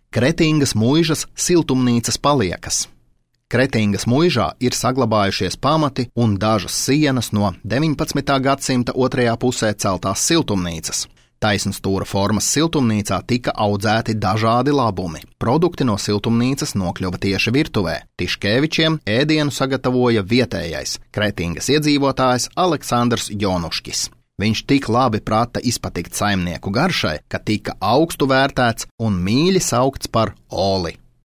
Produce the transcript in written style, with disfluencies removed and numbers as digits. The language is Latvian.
Kretingas muižas siltumnīcas paliekas. Kretingas muižā ir saglabājušies pamati un dažas sienas no 19. gadsimta otrajā pusē celtās siltumnīcas. Taisnstūra formas siltumnīcā tika audzēti dažādi labumi. Produkti no siltumnīcas nokļuva tieši virtuvē. Tiškevičiem ēdienu sagatavoja vietējais Kretingas iedzīvotājs Aleksandrs Jonuškis. Viņš tik labi prata izpatikt saimnieku garšai, ka tika augstu vērtēts un mīļi saukts par Oli.